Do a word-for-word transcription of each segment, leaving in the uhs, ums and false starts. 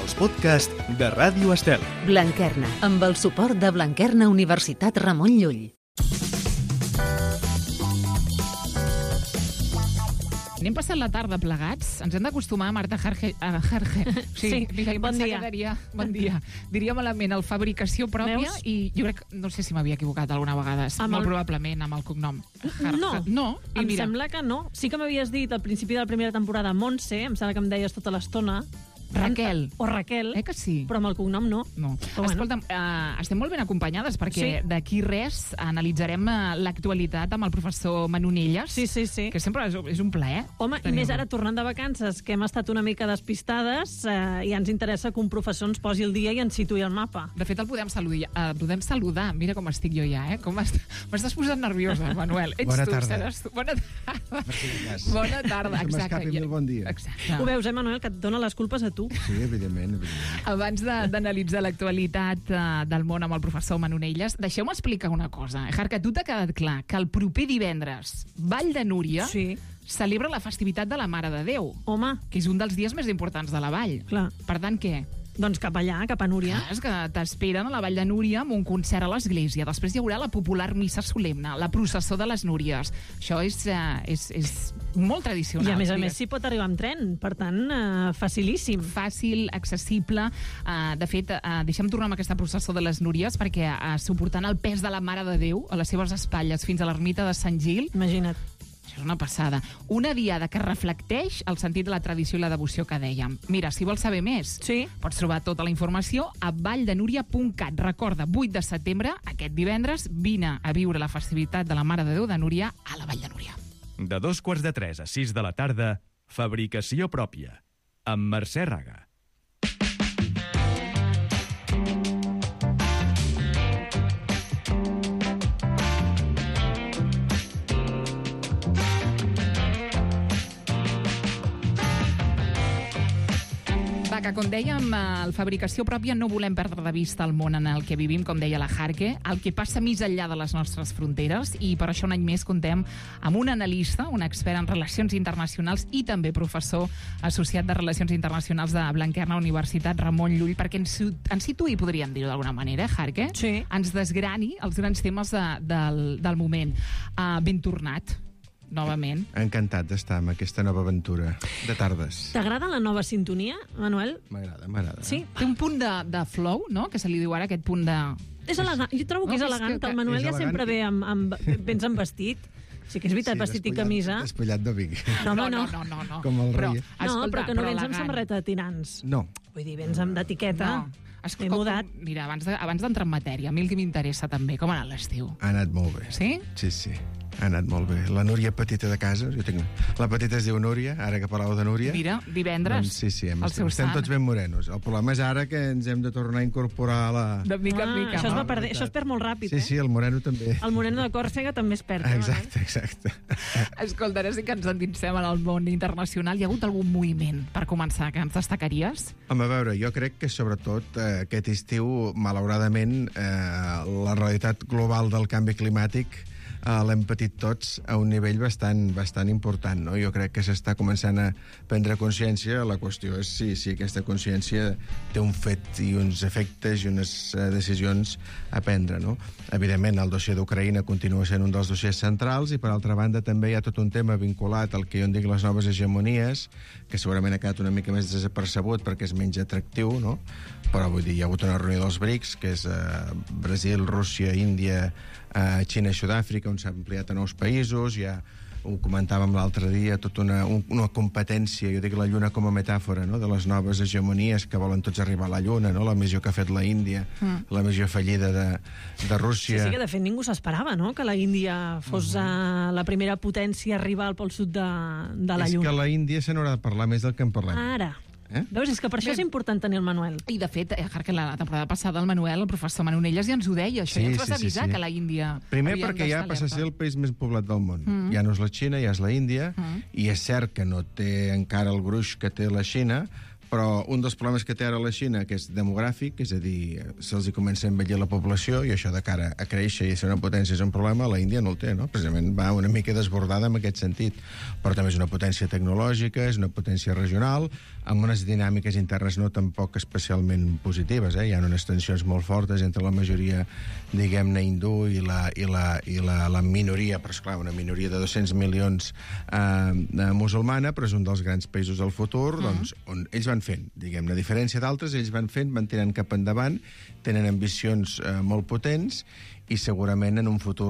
els podcasts de Ràdio Estel. Blanquerna, amb el suport de Blanquerna Universitat Ramon Llull. Anem passant la tarda plegats. Ens hem d'acostumar a Marta Jarge... A Jarge. Sí, Sí, mira, bon dia. Diria, bon dia. Diria malament el fabricació pròpia. Veus? I jo crec, no sé si m'havia equivocat alguna vegada, Amb molt el- probablement amb el cognom. Jar- No, No, i em mira, sembla que no. Sí que m'havies dit al principi de la primera temporada Montse, em sembla que em deies tota l'estona. Raquel. O Raquel, Eh que sí? però amb el cognom no. No. Però bueno. Escolta'm, eh, estem molt ben acompanyades perquè Sí. d'aquí res analitzarem eh, l'actualitat amb el professor Manonelles, Sí, sí, sí. que sempre és, és un plaer. Home, i tenir-lo. més ara tornant de vacances, que hem estat una mica despistades eh, i ens interessa que un professor ens posi el dia i ens situï al mapa. De fet, el podem saludar. Uh, podem saludar. Mira com estic jo ja, eh? Com est... M'estàs posant nerviosa, Manuel. Ets Bona tu, tarda. seràs tu. Bona tarda. cas. Bona tarda, Que exacte. m'escapi molt bon dia. Exacte. Ho veus, eh, Manuel, que et dona les culpes a tu. Sí, evidentment, evidentment. Abans de- d'analitzar l'actualitat uh, del món amb el professor Manonelles, deixeu-me explicar una cosa. Eh, Jarca, a tu t'ha quedat clar que el proper divendres Vall de Núria Sí. celebra la festivitat de la Mare de Déu, Home, que és un dels dies més importants de la Vall. clar. Per tant, què? Doncs cap allà, cap a Núria. Clar, és que t'esperen a la Vall de Núria amb un concert a l'església. Després hi haurà la popular missa solemne, la processó de les Núries. Això és, eh, és, és molt tradicional. I a més a digues. més s'hi pot arribar amb tren, per tant, eh, facilíssim. Fàcil, accessible. Uh, de fet, uh, deixem tornar amb aquesta processó de les Núries perquè uh, suportant el pes de la Mare de Déu a les seves espatlles fins a l'ermita de Sant Gil, Imagina't. això és una passada. Una diada que reflecteix el sentit de la tradició i la devoció que dèiem. Mira, si vols saber més, Sí. pots trobar tota la informació a valldenúria punt cat. Recorda, vuit de setembre, aquest divendres, vine a viure la festivitat de la Mare de Déu de Núria a la Vall de Núria. De dos quarts de tres a sis de la tarda, fabricació pròpia, amb Mercè Raga. Va, que com dèiem, el fabricació pròpia no volem perdre de vista el món en el que vivim, com deia la Jarque, el que passa més enllà de les nostres fronteres, i per això un any més contem amb un analista, un expert en relacions internacionals i també professor associat de Relacions Internacionals de Blanquerna Universitat Ramon Llull, perquè ens, ens situï, podríem dir-ho d'alguna manera, eh, Jarque? Sí. Ens desgrani els grans temes de, del, del moment. Uh, ben tornat, novament. Encantat d'estar amb aquesta nova aventura de tardes. T'agrada la nova sintonia, Manuel? M'agrada, m'agrada. Sí. Té un punt de, de flow, no?, que se li diu ara, aquest punt de... És elegant. Jo trobo que No, és és elegant, que- que el Manuel és ja elegant sempre i- ve amb, amb, vens amb vestit. Sí que és veritat, vestit i despullat- camisa. Despullat de Vic. No, home, no, no. no, no, no. Com el però, rei. No, escolta, però que no vens amb elegant. samarreta de tirants. No. Vull dir, vens amb d'etiqueta. No. Es- Ben com- mudat. Mira, abans de- abans d'entrar en matèria, a mi el que m'interessa també, com ha anat l'estiu? Ha anat molt bé. Sí? Sí, sí. Ha anat molt bé. La Núria petita de casa, jo tinc... La petita es diu Núria, ara que parleu de Núria. Mira, divendres, Doncs sí, sí, hem, el seu estem sant. tots ben morenos. El problema és ara que ens hem de tornar a incorporar a la... De mica en Ah, mica. això es no? va perdre, això es perd molt ràpid, Sí, eh? sí, el moreno també. El moreno de Còrsega també es perd. eh, Manuel? Exacte, exacte. Escolta, ara sí que ens endinsem en el món internacional. Hi ha hagut algun moviment, per començar, que ens destacaries? Home, a veure, jo crec que sobretot eh, aquest estiu, malauradament, eh, la realitat global del canvi climàtic eh, l'hem patit tots a un nivell bastant, bastant important, no? Jo crec que s'està començant a prendre consciència. La qüestió és si, si aquesta consciència té un fet i uns efectes i unes eh, decisions a prendre, no? Evidentment, el dossier d'Ucraïna continua sent un dels dossiers centrals i, per altra banda, també hi ha tot un tema vinculat al que jo en dic les noves hegemonies, que segurament ha quedat una mica més desapercebut perquè és menys atractiu, no? Però, vull dir, hi ha hagut una reunió dels BRICS, que és eh, Brasil, Rússia, Índia, eh, Xina i Sud-àfrica, on s'ha ampliat a nous països. Hi ha, ho comentàvem l'altre dia, tota una, un, una competència, jo dic la Lluna com a metàfora, no?, de les noves hegemonies que volen tots arribar a la Lluna, no?, la missió que ha fet la Índia, mm. la missió fallida de, de Sí, Rússia. sí, que de fet ningú s'esperava, no?, que la Índia fos uh -huh. uh, la primera potència a arribar al pol sud de, de la és Lluna. que la Índia se n'haurà de parlar més del que en parlem. Ara. Eh? Veus, és que per això Bé. és important tenir el Manuel. I, de fet, eh, que la temporada passada el Manuel, el professor Manonelles, ja ens ho deia. Això Sí, ja ens vas sí, sí, avisar, sí. que la Índia... Primer havia perquè ja d'estar passa a ser alerta. el país més poblat del món. Mm. Ja no és la Xina, ja és la Índia, Mm. i és cert que no té encara el gruix que té la Xina, però un dels problemes que té ara la Xina, que és demogràfic, és a dir, se'ls hi comença a envellir la població i això de cara a créixer i a ser una potència és un problema, la Índia no el té, no? Precisament va una mica desbordada en aquest sentit, però també és una potència tecnològica, és una potència regional, amb unes dinàmiques internes no tampoc especialment positives, eh? Hi ha unes tensions molt fortes entre la majoria, diguem-ne, hindú i la, i la, i la, la minoria, però esclar, una minoria de dos-cents milions eh, musulmana, però és un dels grans països del futur, mm. doncs, on ells van fent, diguem-ne, a diferència d'altres, ells van fent, van tirant cap endavant, tenen ambicions eh, molt potents i segurament en un futur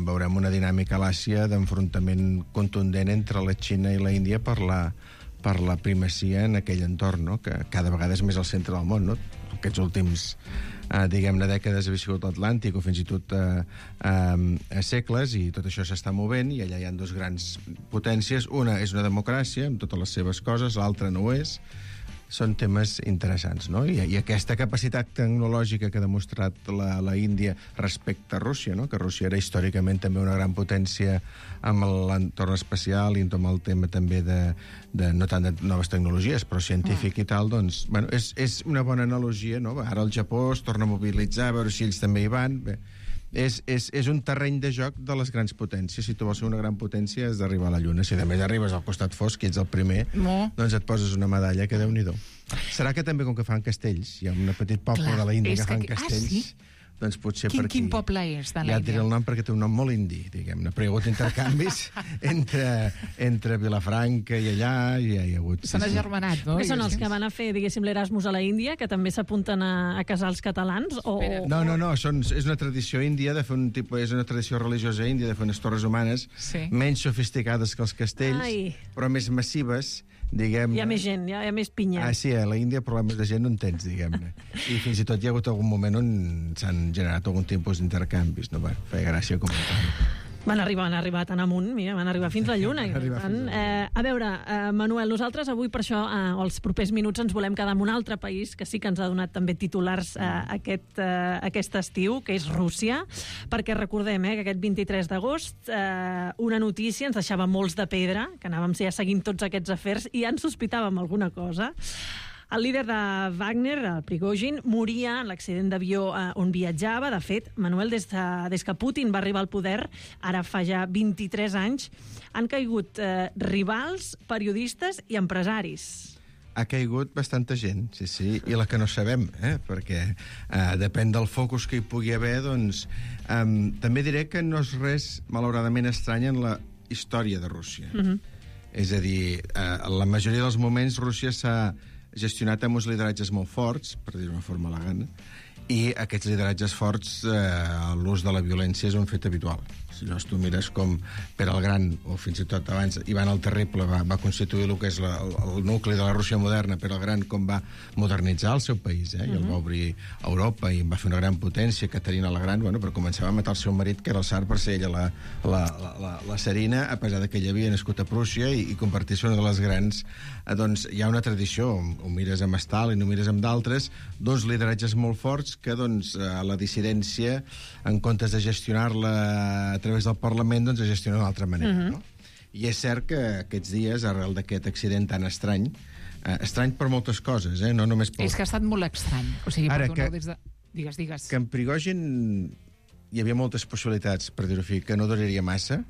veurem una dinàmica a l'Àsia d'enfrontament contundent entre la Xina i la Índia per la, per la primacia en aquell entorn, no? Que cada vegada és més al centre del món, no? Aquests últims eh, diguem-ne, dècades ha viscut l'Atlàntic o fins i tot eh, eh, segles, i tot això s'està movent, i allà hi ha dos grans potències. Una és una democràcia, amb totes les seves coses, l'altra no ho és. Són temes interessants, no? I, i aquesta capacitat tecnològica que ha demostrat la, la Índia respecte a Rússia, no? Que Rússia era històricament també una gran potència amb l'entorn espacial i amb el tema també de, de no tant de noves tecnologies, però científic mm. i tal, doncs, bueno, és, és una bona analogia, no? Ara el Japó es torna a mobilitzar, a veure si ells també hi van. Bé, és, és, és un terreny de joc de les grans potències. Si tu vols ser una gran potència has d'arribar a la Lluna. Si a més arribes al costat fosc i ets el primer, no. doncs et poses una medalla que Déu-n'hi-do. Serà que també, com que fan castells, hi ha un petit poble Clar, de la Índia que fan que... castells... Ah, sí? Doncs potser quin, per aquí... Quin poble és de Ja l'Índia? et diré el nom perquè té un nom molt indi, diguem-ne. Però hi ha hagut intercanvis entre, entre Vilafranca i allà, i hi ha hagut... S'han agermanat, no? Que són els que van a fer, diguéssim, l'Erasmus a la Índia, que també s'apunten a, a casar els catalans? O... No, no, no, són, és una tradició índia de fer un tipus... És una tradició religiosa índia de fer unes torres humanes sí. menys sofisticades que els castells, Ai. però més massives, diguem... Hi ha més gent, hi ha, hi ha més pinya. Ah, sí, a la Índia problemes de gent no en tens, diguem-ne. I fins i tot hi ha hagut algun moment on s'han generat algun tipus d'intercanvis, no? Bueno, feia gràcia comentar-ho. Van arribar, van arribar tan amunt, mira, van arribar fins a la Lluna. I tant, eh, a veure, eh, Manuel, nosaltres avui per això, eh, els propers minuts, ens volem quedar en un altre país que sí que ens ha donat també titulars eh, aquest, eh, aquest estiu, que és Rússia, perquè recordem eh, que aquest vint-i-tres d'agost eh, una notícia ens deixava molts de pedra, que anàvem ja seguint tots aquests afers i ja en sospitàvem alguna cosa. El líder de Wagner, el Prigozhin, moria en l'accident d'avió eh, on viatjava. De fet, Manuel, des, de, des que Putin va arribar al poder, ara fa ja vint-i-tres anys, han caigut eh, rivals, periodistes i empresaris. Ha caigut bastanta gent, sí, sí, i la que no sabem, eh? Perquè eh, depèn del focus que hi pugui haver, doncs... Eh, també diré que no és res, malauradament, estrany en la història de Rússia. Mm-hmm. És a dir, eh, en la majoria dels moments Rússia s'ha gestionat amb uns lideratges molt forts, per dir-ho d'una forma elegant, i aquests lideratges forts, eh, l'ús de la violència és un fet habitual. Si no, tu mires com Pere el Gran, o fins i tot abans Ivan el Terrible, va, va constituir el que és la, el, el nucli de la Rússia moderna, Pere el Gran com va modernitzar el seu país, eh? I el va obrir a Europa i va fer una gran potència. Caterina la Gran, bueno, però començava a matar el seu marit, que era el tsar, per ser ella la, la, la, la, la tsarina, a pesar de que ella havia nascut a Prússia i, i convertir-se una de les grans... Eh, doncs hi ha una tradició, ho mires amb Stalin, ho mires amb d'altres, dos lideratges molt forts que, doncs, a la dissidència, en comptes de gestionar-la a través del Parlament, doncs es gestiona d'una altra manera, uh-huh. no? I és cert que aquests dies, arrel d'aquest accident tan estrany, eh, estrany per moltes coses, eh? No només pel... És que ha estat molt estrany. O sigui, Ara, perdoneu, que, des de... Digues, digues. Que en Prigozhin hi havia moltes possibilitats, per dir-ho així, que no duraria massa.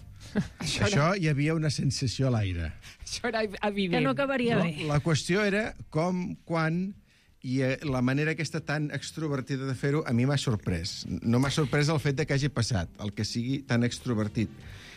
Això, era... Això hi havia una sensació a l'aire. Això era evident. Que no acabaria no? bé. La qüestió era com, quan... I la manera aquesta tan extrovertida de fer-ho a mi m'ha sorprès. No m'ha sorprès el fet de que hagi passat. El que sigui tan extrovertit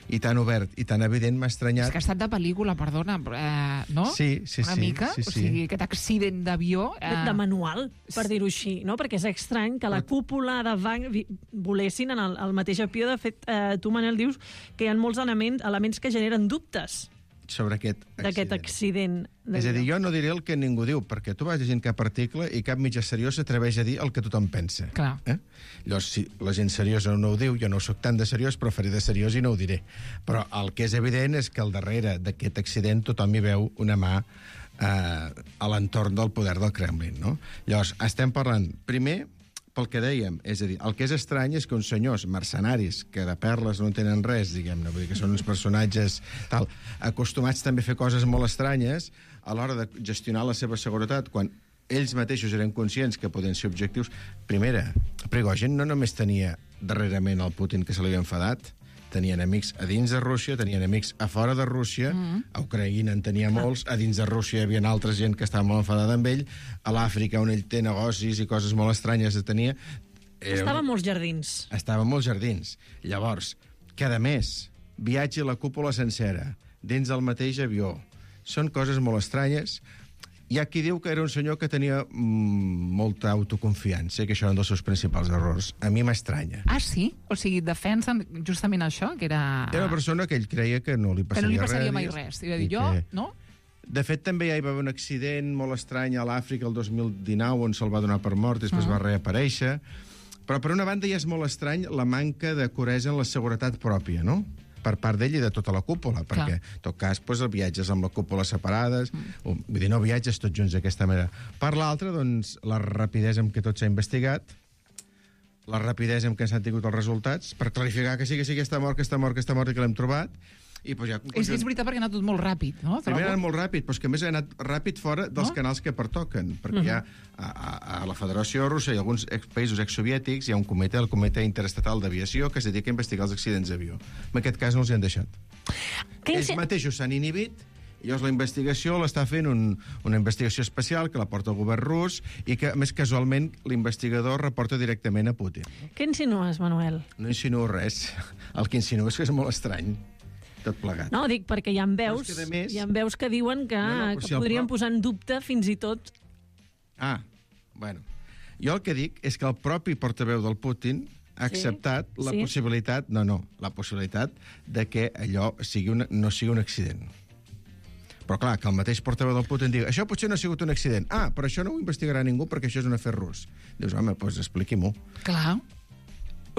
i tan obert i tan evident m'ha estranyat. És que ha estat de pel·lícula, perdona, eh, no? Sí, sí, Una sí. mica? Sí, sí. O sigui, aquest accident d'avió... Eh... De manual, per dir-ho així, no? Perquè és estrany que la cúpula de Wagner volessin en el, el mateix avió. De fet, eh, tu, Manel, dius que hi ha molts elements, elements que generen dubtes sobre aquest accident. D'aquest accident. És a dir, jo no diré el que ningú diu, perquè tu vas llegint cap article i cap mitjà seriós s'atreveix a dir el que tothom pensa. Clar. Eh? Llavors, si la gent seriosa no ho diu, jo no soc tan de seriós, però faré de seriós i no ho diré. Però el que és evident és que al darrere d'aquest accident tothom hi veu una mà eh, a l'entorn del poder del Kremlin, no? Llavors, estem parlant, primer, pel que dèiem, és a dir, el que és estrany és que uns senyors mercenaris, que de perles no en tenen res, diguem-ne, vull dir que són uns personatges tal, acostumats també a fer coses molt estranyes, a l'hora de gestionar la seva seguretat, quan ells mateixos eren conscients que podien ser objectius. Primera, Prigozhin no només tenia darrerament el Putin que se li havia enfadat, tenia enemics a dins de Rússia, tenia enemics a fora de Rússia, mm. a Ucraïna en tenia molts, a dins de Rússia hi havia altra gent que estava molt enfadada amb ell, a l'Àfrica, on ell té negocis i coses molt estranyes de tenia... Estava a molts jardins. Estava a molts jardins. Llavors, cada mes, viatge a la cúpula sencera, dins del mateix avió. Són coses molt estranyes. Hi ha qui diu que era un senyor que tenia mm, molta autoconfiança, que això era un dels seus principals errors. A mi m'estranya. Ah, sí? O sigui, defensen justament això, que era... Era una persona que ell creia que no li passaria res. Que no li passaria res, mai res. I va dir, jo, que... no? De fet, també ja hi va haver un accident molt estrany a l'Àfrica el dos mil dinou, on se'l va donar per mort, després uh -huh. va reaparèixer. Però, per una banda, ja és molt estrany la manca de curesa en la seguretat pròpia, no?, per part d'ell i de tota la cúpula, perquè, en tot cas, doncs, el viatges amb la cúpula separades, mm. vull dir, no viatges tots junts d'aquesta manera. Per l'altra, doncs, la rapidesa amb què tot s'ha investigat, la rapidesa amb què s'han tingut els resultats, per clarificar que sí, que sí, que està mort, que està mort, que està mort i que l'hem trobat, i doncs ja... És, és veritat perquè ha anat tot molt ràpid, no? Primer ha anat molt ràpid, però és que a més ha anat ràpid fora dels no? canals que pertoquen, perquè uh -huh. hi ha a, a, a la Federació Russa i alguns ex països exsoviètics hi ha un comitè, el Comitè Interestatal d'Aviació, que es dedica a investigar els accidents d'avió. En aquest cas no els hi han deixat. Que Ells mateixos s'han inhibit, i llavors la investigació l'està fent un, una investigació especial que la porta el govern rus i que, a més, casualment, l'investigador reporta directament a Putin. Què insinues, Manuel? No insinuo res. El que insinuo és que és molt estrany. Tot plegat. No, dic perquè hi ha veus, que més... hi ha veus que diuen que, no, no, que si podrien pro... posar en dubte fins i tot... Ah, bueno. Jo el que dic és que el propi portaveu del Putin ha acceptat sí? la sí? possibilitat... No, no, la possibilitat de que allò sigui una, no sigui un accident. Però clar, que el mateix portaveu del Putin digui això potser no ha sigut un accident. Ah, però això no ho investigarà ningú perquè això és un afer rus. Dius, home, doncs expliqui-m'ho. Clar.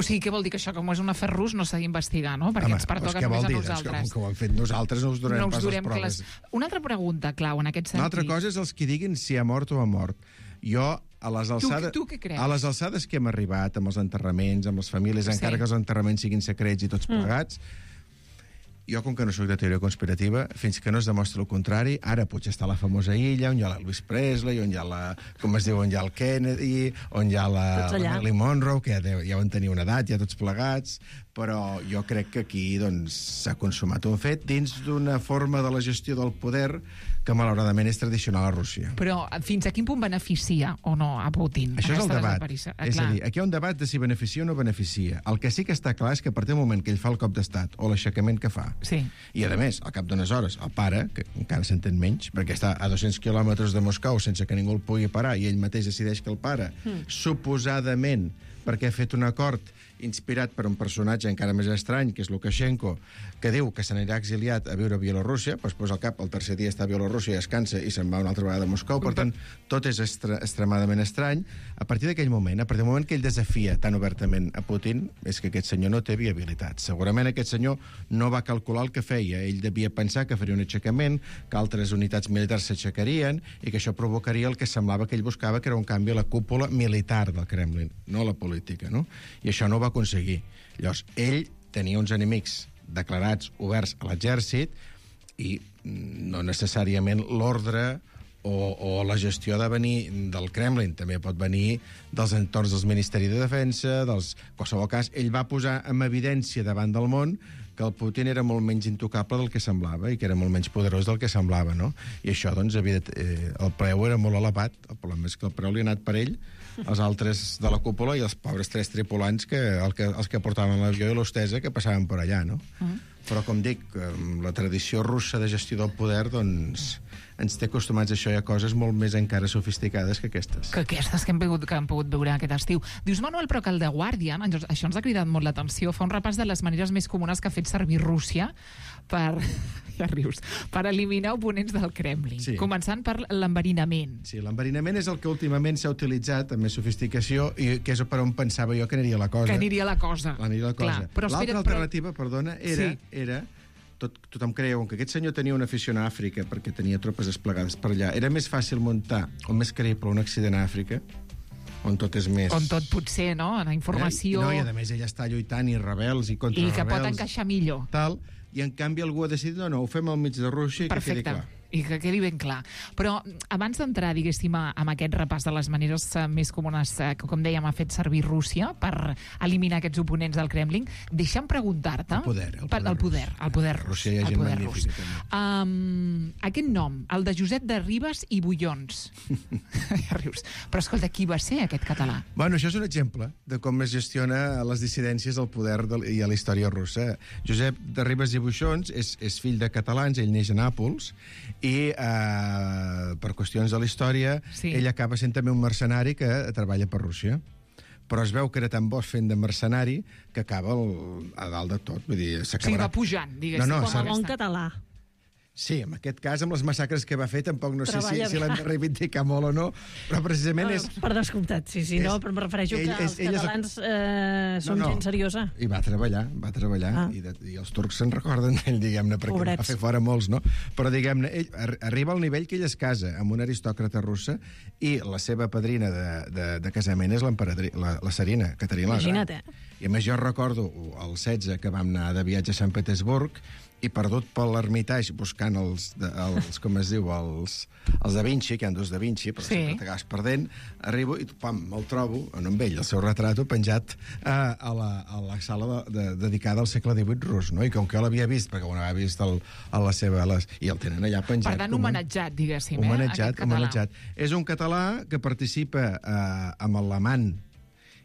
O sigui, què vol dir que això, com és un afer rus, no s'ha d'investigar, no? Perquè Home, ens pertoca doncs només dir? a nosaltres. És que, com que ho hem fet nosaltres, no us donem no pas durem les proves. Les... Una altra pregunta, Clau, en aquest sentit. Una altra cosa és els que diguin si ha mort o ha mort. Jo, a les alçades... Tu, tu què creus? A les alçades que hem arribat, amb els enterraments, amb les famílies, sí. encara que els enterraments siguin secrets i tots plegats, mm. jo, com que no soc de teoria conspirativa, fins que no es demostra el contrari, ara potser està la famosa illa, on hi ha l'Elvis Presley, on hi ha la, com es diu, on hi ha el Kennedy, on hi ha la, la Marilyn Monroe, que ja, ja van tenir una edat, ja tots plegats, però jo crec que aquí doncs, s'ha consumat un fet dins d'una forma de la gestió del poder que malauradament és tradicional a Rússia. Però fins a quin punt beneficia o no a Putin? Això és el debat. Ah, és a dir, aquí hi ha un debat de si beneficia o no beneficia. El que sí que està clar és que a partir del moment que ell fa el cop d'estat o l'aixecament que fa, sí. i a més, al cap d'unes hores, el pare, que encara s'entén menys, perquè està a dos-cents quilòmetres de Moscou sense que ningú el pugui parar, i ell mateix decideix que el pare, mm. suposadament, perquè ha fet un acord inspirat per un personatge encara més estrany, que és Lukashenko, que diu que se n'anirà exiliat a viure a Bielorússia, doncs posa el cap, el tercer dia està a Bielorússia i es cansa i se'n va una altra vegada a Moscou. Per tant, tot és estre extremadament estrany. A partir d'aquell moment, a partir del moment que ell desafia tan obertament a Putin, és que aquest senyor no té viabilitat. Segurament aquest senyor no va calcular el que feia. Ell devia pensar que faria un aixecament, que altres unitats militars s'aixecarien i que això provocaria el que semblava que ell buscava, que era un canvi a la cúpula militar del Kremlin, no a la política, no? I això no ho va aconseguir. Llavors, ell tenia uns enemics declarats oberts a l'exèrcit i no necessàriament l'ordre o, o la gestió de venir del Kremlin, també pot venir dels entorns dels Ministeris de Defensa, dels... En qualsevol cas, ell va posar en evidència davant del món que el Putin era molt menys intocable del que semblava i que era molt menys poderós del que semblava, no? I això, doncs, havia de... eh, el preu era molt elevat. El problema és que el preu li ha anat per ell, els altres de la cúpula i els pobres tres tripulants, que, el que els que portaven l'avió i l'hostesa, que passaven per allà, no? Mm. Però, com dic, la tradició russa de gestió del poder, doncs, ens té acostumats a això i a coses molt més encara sofisticades que aquestes. Que aquestes que hem pogut, que hem pogut veure aquest estiu. Dius, Manuel, però que el The Guardian, això ens ha cridat molt l'atenció, fa un repàs de les maneres més comunes que ha fet servir Rússia per... ja rius, per eliminar oponents del Kremlin, sí. Començant per l'enverinament. Sí, l'enverinament és el que últimament s'ha utilitzat amb més sofisticació i que és per on pensava jo que aniria la cosa. Que aniria la cosa. Aniria la cosa. L'altra alternativa, però... perdona, era... Sí. era tot, tothom creia que aquest senyor tenia una afició a Àfrica perquè tenia tropes desplegades per allà. Era més fàcil muntar, o més creïble, un accident a Àfrica on tot és més... On tot potser, no? La informació... Eh? No, i a més ella està lluitant i rebels i contra I rebels. que pot encaixar millor. Tal, i en canvi algú ha decidit, no, no, ho fem al mig de Rússia i Perfecte. que quedi clar. I que quedi ben clar. Però abans d'entrar, diguéssim, amb aquest repàs de les maneres més comunes que, com dèiem, ha fet servir Rússia per eliminar aquests oponents del Kremlin, deixa'm preguntar-te... El poder, el poder, el poder, el poder rus. Rússia hi ha gent magnífica, també. Um, aquest nom, el de Josep de Ribes i Bullons. Ja rius. Però escolta, qui va ser aquest català? Bueno, això és un exemple de com es gestiona les dissidències al poder de, i a la història russa. Josep de Ribes i Bullons és, és fill de catalans, ell neix a Nàpols, i eh, per qüestions de la història sí. ell acaba sent també un mercenari que treballa per Rússia, però es veu que era tan bo fent de mercenari que acaba el, a dalt de tot, vull dir, s'acabarà... O sigui, va pujant, diguéssim. No, no, com a bon català. Sí, en aquest cas, amb les massacres que va fer, tampoc no Treballa sé si, si l'hem de reivindicar molt o no, però precisament és... Per descomptat, sí, sí, és, no, però em refereixo ell, que els és, catalans és... eh, són no, no. gent seriosa. I va treballar, va treballar, ah. i, de, i els turcs se'n recorden d'ell, diguem-ne, perquè Pobrets. Va fer fora molts, no? Però, diguem-ne, ell arriba al nivell que ell es casa amb una aristòcrata russa i la seva padrina de, de, de casament és la, la Serina, Caterina la Gran. Imagina't, eh? I a més jo recordo el setze que vam anar de viatge a Sant Petersburg i perdut per l'Ermitage buscant els, els, com es diu, els, els Da Vinci, que hi ha dos Da Vinci, però sí. sempre t'acabes perdent, arribo i pam, me'l trobo, no amb ell, el seu retrato penjat a, a, la, a la sala de, de, dedicada al segle divuit rus, no? I com que jo l'havia vist, perquè ho havia vist el, a la seva... Les, i el tenen allà penjat. Per tant, homenatjat, diguéssim, homenatjat, eh? Homenatjat. És un català que participa eh, amb l'amant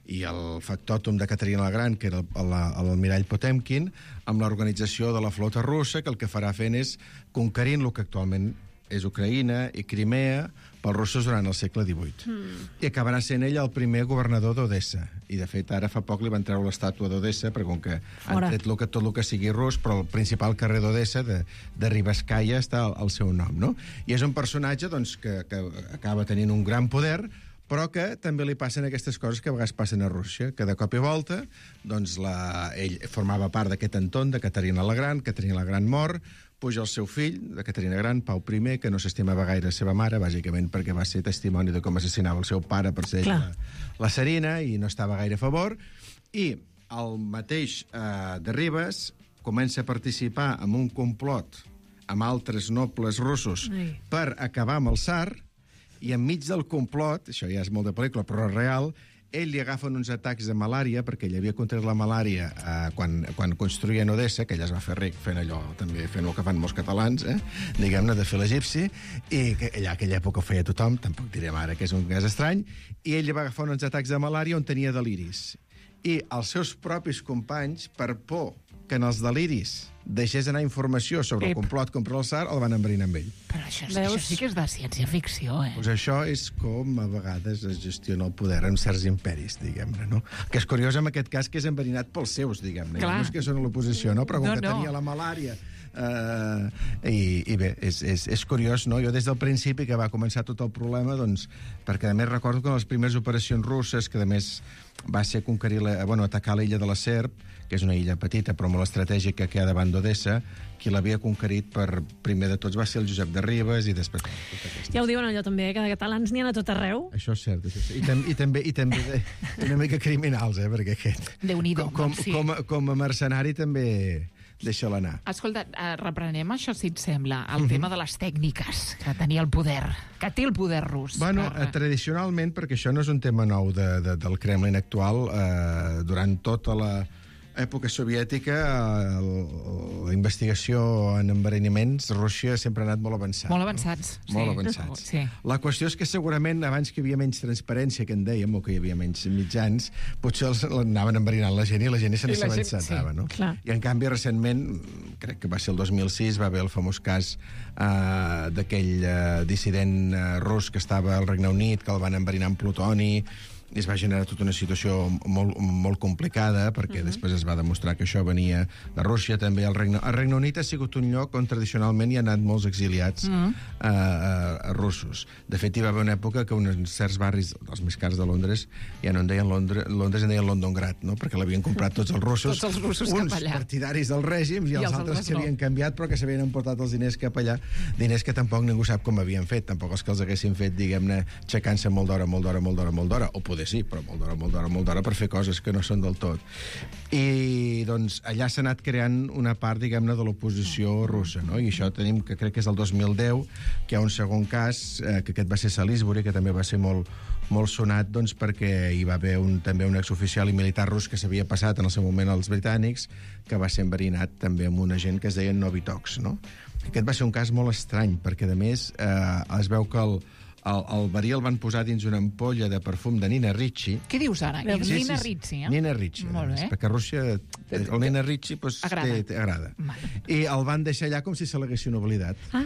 i el factòtum de Caterina la Gran, que era l'almirall Potemkin, amb l'organització de la flota russa, que el que farà fent és conquerint el que actualment és Ucraïna i Crimea pels russos durant el segle divuit. Mm. I acabarà sent ell el primer governador d'Odessa. I, de fet, ara fa poc li van treure l'estàtua d'Odessa, perquè com que Fora. han tret lo que, tot el que sigui rus, però el principal carrer d'Odessa, de, de Ribaskaya, està al, al seu nom, no? I és un personatge doncs, que, que acaba tenint un gran poder, però que també li passen aquestes coses que a vegades passen a Rússia, que de cop i volta doncs la, ell formava part d'aquest entorn de Caterina la Gran, Caterina la Gran mor, puja el seu fill, de Caterina Gran, Pau I, que no s'estimava gaire la seva mare, bàsicament perquè va ser testimoni de com assassinava el seu pare per ser la, la Serina, i no estava gaire a favor, i el mateix eh, de Ribes comença a participar en un complot amb altres nobles russos Ai. per acabar amb el tsar, i enmig del complot, això ja és molt de pel·lícula, però real, ell li agafen uns atacs de malària, perquè ell havia contret la malària eh, quan, quan construïen Odessa, que ell es va fer ric fent allò, també fent el que fan molts catalans, eh, diguem-ne, de fer l'egipci, i que allà aquella època ho feia tothom, tampoc direm ara que és un cas estrany, i ell li va agafar uns atacs de malària on tenia deliris. I els seus propis companys, per por que en els deliris deixés anar informació sobre Ep. el complot contra el tsar, el van enverinar amb ell. Però això, això sí que és de ciència-ficció, eh? Pues això és com a vegades es gestiona el poder en certs imperis, diguem-ne, no? Que és curiós en aquest cas que és enverinat pels seus, diguem-ne. No és que són a l'oposició, no? Però com no, que no. tenia la malària... Uh, i, i bé, és, és, és curiós, no? Jo des del principi que va començar tot el problema, doncs, perquè a més recordo que les primeres operacions russes, que a més va ser conquerir la, bueno, atacar l'illa de la Serp, que és una illa petita però molt estratègica que hi ha davant d'Odessa, qui l'havia conquerit per primer de tots va ser el Josep de Ribes i després... Ja ho diuen allò també, que de catalans n'hi ha a tot arreu. Això és cert, això és cert. I, tam i també, i també de, una mica criminals, eh, perquè aquest... Déu-n'hi-do, com, com, sí. com, com a mercenari també... deixa-la anar. Escolta, eh, reprenem això, si et sembla, el mm-hmm. tema de les tècniques que tenia el poder, que té el poder rus. Bueno, per... eh, tradicionalment, perquè això no és un tema nou de, de, del Kremlin actual, eh, durant tota la època soviètica, el, la investigació en enverinaments, Rússia sempre ha anat molt avançat. Molt avançats, no? sí. Molt avançats. Sí. La qüestió és que segurament, abans que hi havia menys transparència, que en dèiem, o que hi havia menys mitjans, potser els anaven enverinant la gent i la gent se'n s'avançatava, sí. no? Clar. I en canvi, recentment, crec que va ser el dos mil sis, va haver el famós cas eh, d'aquell eh, dissident eh, rus que estava al Regne Unit, que el van enverinar amb plutoni, i es va generar tota una situació molt, molt complicada, perquè uh-huh. després es va demostrar que això venia de Rússia, també el Regne... El Regne Unit ha sigut un lloc on tradicionalment hi ha anat molts exiliats uh-huh. uh, uh, russos. De fet, hi va haver una època que uns certs barris, els més cars de Londres, ja no en deien Londres, Londres en deien Londongrad, no? Perquè l'havien comprat tots els russos, tots els russos uns cap allà. partidaris del règim i, I els, els altres que no. havien canviat, però que s'havien emportat els diners cap allà, diners que tampoc ningú sap com havien fet, tampoc els que els haguessin fet, diguem-ne, aixecant-se molt d'hora, molt d'hora, molt d'hora, molt d'hora, o poder poder sí, però molt d'hora, molt d'hora, molt d'hora per fer coses que no són del tot. I, doncs, allà s'ha anat creant una part, diguem-ne, de l'oposició russa, no? I això tenim, que crec que és el dos mil deu, que hi ha un segon cas, eh, que aquest va ser Salisbury, que també va ser molt, molt sonat, doncs, perquè hi va haver un, també un exoficial i militar rus que s'havia passat en el seu moment als britànics, que va ser enverinat també amb un agent que es deia Novichok, no? Aquest va ser un cas molt estrany, perquè, a més, eh, es veu que el, el, el verí el van posar dins una ampolla de perfum de Nina Ricci. Què dius ara? Sí, Sí, Nina sí, Ricci, eh? Nina Ricci. Molt bé. Perquè a Rússia el Nina Ricci pues, Agrada. té, té, agrada. Vale. I el van deixar allà com si se l'haguessin oblidat. Ah,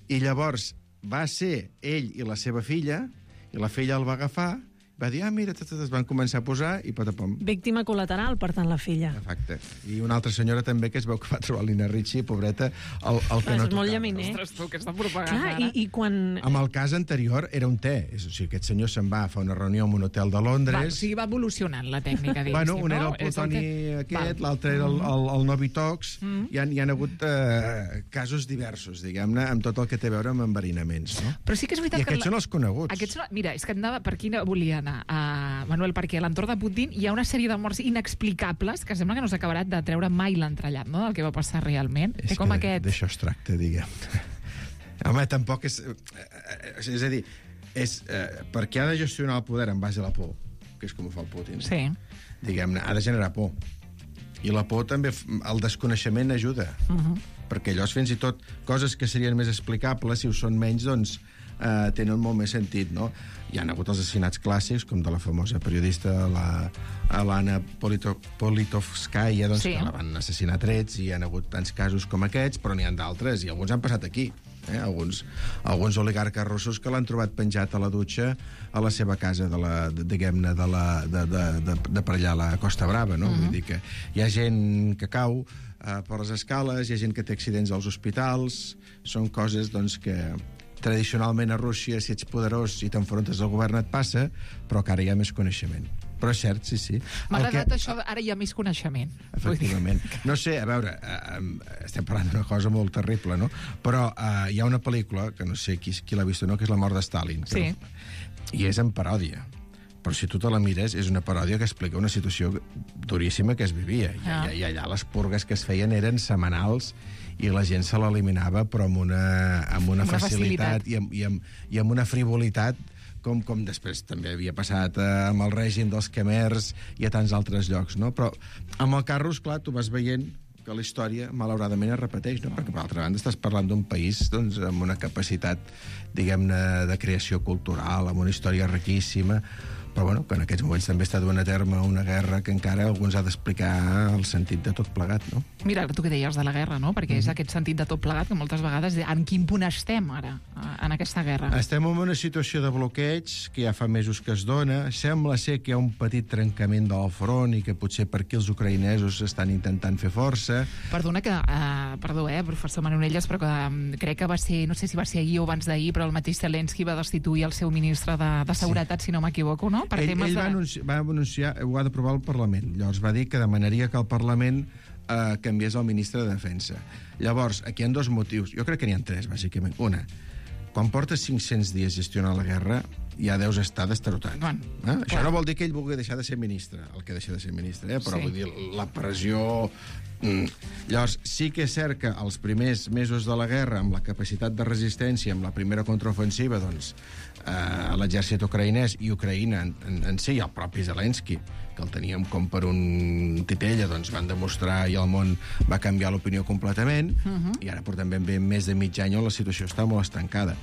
I llavors va ser ell i la seva filla, i la filla el va agafar, va dir, ah, mira, tot, tot, es van començar a posar i patapom. víctima col·lateral, per tant, la filla. Efecte. I una altra senyora també que es veu que va trobar Nina Ricci, pobreta, el, el que Clar, no és molt tocava. llaminer. Ostres, tu, aquesta propaganda. Clar, i, i quan... Amb el cas anterior era un té. És, o sigui, aquest senyor se'n va a fer una reunió en un hotel de Va, Londres. o sigui, va evolucionant la tècnica, diguéssim, Bueno, un era no? el plutoni És el que- aquest, Val. l'altre era el, el, el Novichok. Mm. Hi, ha, hi ha hagut eh, casos diversos, diguem-ne, amb tot el que té a veure amb enverinaments. No? Però sí que és veritat I que... aquests són els coneguts. Aquests són... Mira, és que anava per aquí volia anar, uh, Manuel, perquè a l'entorn de Putin hi ha una sèrie de morts inexplicables que sembla que no s'ha acabat de treure mai l'entrellat, no?, del que va passar realment. És Té com que aquest... d'això es tracta, diguem. Home, tampoc és... eh, És a dir, és, eh, perquè ha de gestionar el poder en base a la por, que és com ho fa el Putin. Sí. Diguem-ne, ha de generar por. I la por també, el desconeixement ajuda. Uh -huh. Perquè allò, fins i tot, coses que serien més explicables, si ho són menys, doncs, eh, tenen molt més sentit, no? Hi ha hagut els assassinats clàssics, com de la famosa periodista la, l'Anna Polito, Politovskaya, doncs, Sí. que la van assassinar a trets, i hi ha hagut tants casos com aquests, però n'hi ha d'altres, i alguns han passat aquí. Eh? Alguns, alguns oligarques russos que l'han trobat penjat a la dutxa a la seva casa, de la, de, diguem-ne, de, la, de, de, de, de per allà a la Costa Brava, no? Uh-huh. Vull dir que hi ha gent que cau eh, per les escales, hi ha gent que té accidents als hospitals, són coses, doncs, que tradicionalment a Rússia, si ets poderós i t'enfrontes al govern et passa, però que ara hi ha més coneixement. Però és cert, sí, sí. M'ha El agradat que- això, ara hi ha més coneixement. Efectivament. No sé, a veure, eh, estem parlant d'una cosa molt terrible, no? Però eh, hi ha una pel·lícula, que no sé qui, qui l'ha vist o no, que és La mort de Stalin. Sí. Però, I és en paròdia. Però si tu te la mires, és una paròdia que explica una situació duríssima que es vivia. I, Ah. i, i allà les purgues que es feien eren setmanals i la gent se l'eliminava, però amb una, amb una, Amb una facilitat, facilitat. I, amb, i, amb, i amb una frivolitat com, com després també havia passat eh, amb el règim dels Khmers i a tants altres llocs, no? Però amb el Carros, clar, tu vas veient que la història, malauradament, es repeteix, no? Perquè, per altra banda, estàs parlant d'un país, doncs, amb una capacitat, diguem-ne, de creació cultural, amb una història riquíssima, però bueno, que en aquests moments també està duent a terme una guerra que encara alguns ha d'explicar el sentit de tot plegat, no? Mira, tu que deies de la guerra, no? Perquè és aquest sentit de tot plegat que moltes vegades... En quin punt estem ara, en aquesta guerra? Estem en una situació de bloqueig que ja fa mesos que es dona. Sembla ser que hi ha un petit trencament del front i que potser per aquí els ucraïnesos estan intentant fer força. Perdona que... Uh, perdó, eh, professor Manonelles, però que um, crec que va ser... No sé si va ser ahir o abans d'ahir, però el mateix Zelensky va destituir el seu ministre de, de Seguretat, sí. si no m'equivoco, no? Per ell temes ell va, de... anunciar, va anunciar, ho ha d'aprovar el Parlament. Llavors va dir que demanaria que el Parlament eh, canviés el ministre de Defensa. Llavors, aquí hi ha dos motius. Jo crec que n'hi ha tres, bàsicament. Una, quan portes cinc-cents dies gestionant la guerra, ja deus estar destarotat. Bueno, eh? Això clar. no vol dir que ell vulgui deixar de ser ministre, el que deixa de ser ministre, eh? però Sí. vull dir, la pressió... Mm. Llavors, sí que és cert que els primers mesos de la guerra, amb la capacitat de resistència, amb la primera contraofensiva, doncs, eh, l'exèrcit ucraïnès i Ucraïna en, en, en si, i el propi Zelensky, que el teníem com per un titella, doncs van demostrar i el món va canviar l'opinió completament, uh-huh. i ara portem ben bé més de mig any on la situació està molt estancada.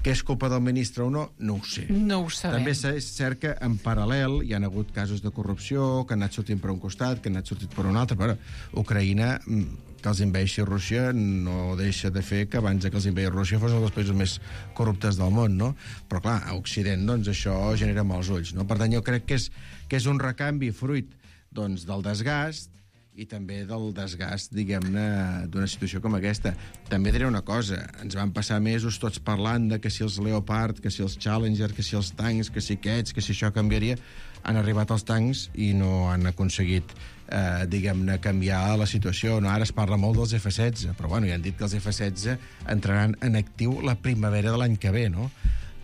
Que és culpa del ministre o no, no ho sé. No ho sabem. També és cert que en paral·lel hi ha hagut casos de corrupció que han anat sortint per un costat, que han anat sortint per un altre, però Ucraïna, que els inveixi Rússia, no deixa de fer que abans que els inveixi Rússia fos un dels països més corruptes del món, no? Però clar, a Occident, doncs, això genera molts ulls, no? Per tant, jo crec que és, que és un recanvi fruit, doncs, del desgast i també del desgast, diguem-ne, d'una situació com aquesta. També diré una cosa, ens van passar mesos tots parlant de que si els Leopard, que si els Challenger, que si els tancs, que si aquests, que si això canviaria. Han arribat els tancs i no han aconseguit, eh, diguem-ne, canviar la situació. No, ara es parla molt dels F setze, però bueno, ja han dit que els F setze entraran en actiu la primavera de l'any que ve, no?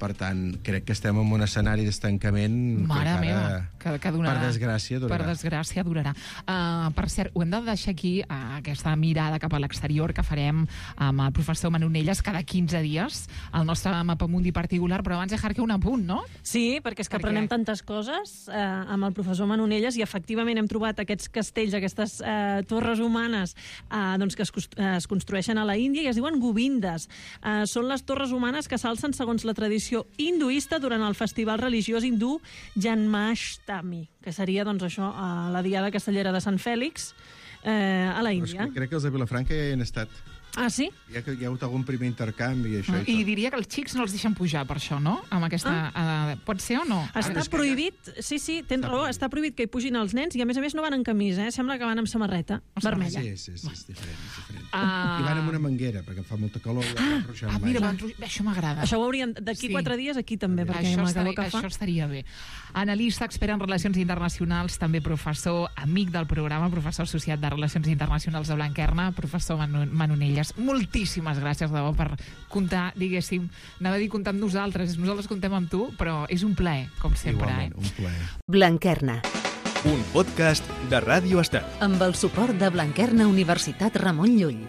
Per tant, crec que estem en un escenari d'estancament Mare que encara, meva, que, que durarà. per desgràcia, durarà. Per desgràcia, durarà. Uh, per cert, ho hem de deixar aquí, uh, aquesta mirada cap a l'exterior que farem amb el professor Manonelles cada quinze dies, el nostre mapamundi particular, però abans de Jarque un apunt, no? Sí, perquè és que Perquè... aprenem tantes coses eh, amb el professor Manonelles i efectivament hem trobat aquests castells, aquestes eh, torres humanes eh, doncs que es, es construeixen a la Índia i es diuen govindes. Eh, són les torres humanes que s'alcen segons la tradició hinduista durant el festival religiós hindú Janmashtami, que seria doncs això, a la diada castellera de Sant Fèlix eh, a la Índia. Crec que els de Vilafranca ja hi han estat. Ah, sí? Hi ha, hi ha hagut algun primer intercanvi i això. I, I diria que els xics no els deixen pujar per això, no? Amb aquesta... Ah. Uh, pot ser o no? Està Ah, prohibit, sí, sí, tens Està raó, prohibit. està prohibit que hi pugin els nens i a més a més no van en camisa, eh? Sembla que van amb samarreta vermella. Sí, sí, sí, és diferent. És diferent. Ah. I van amb una manguera, perquè fa molta calor. Ah, Ah, mira, van... això m'agrada. Això ho haurien... D'aquí Sí. quatre dies, aquí també, perquè Això amb la estaria, calor que fa... això estaria bé. Analista, expert en relacions internacionals, també professor, amic del programa, professor associat de Relacions Internacionals de Blanquerna, professor Manu Manonelles. Moltíssimes gràcies, de debò, per comptar, diguéssim, anava a dir comptar amb nosaltres, nosaltres contem amb tu, però és un plaer, com sempre. Igualment, Eh? un plaer. Blanquerna, Un podcast de Ràdio Estat. amb el suport de Blanquerna Universitat Ramon Llull.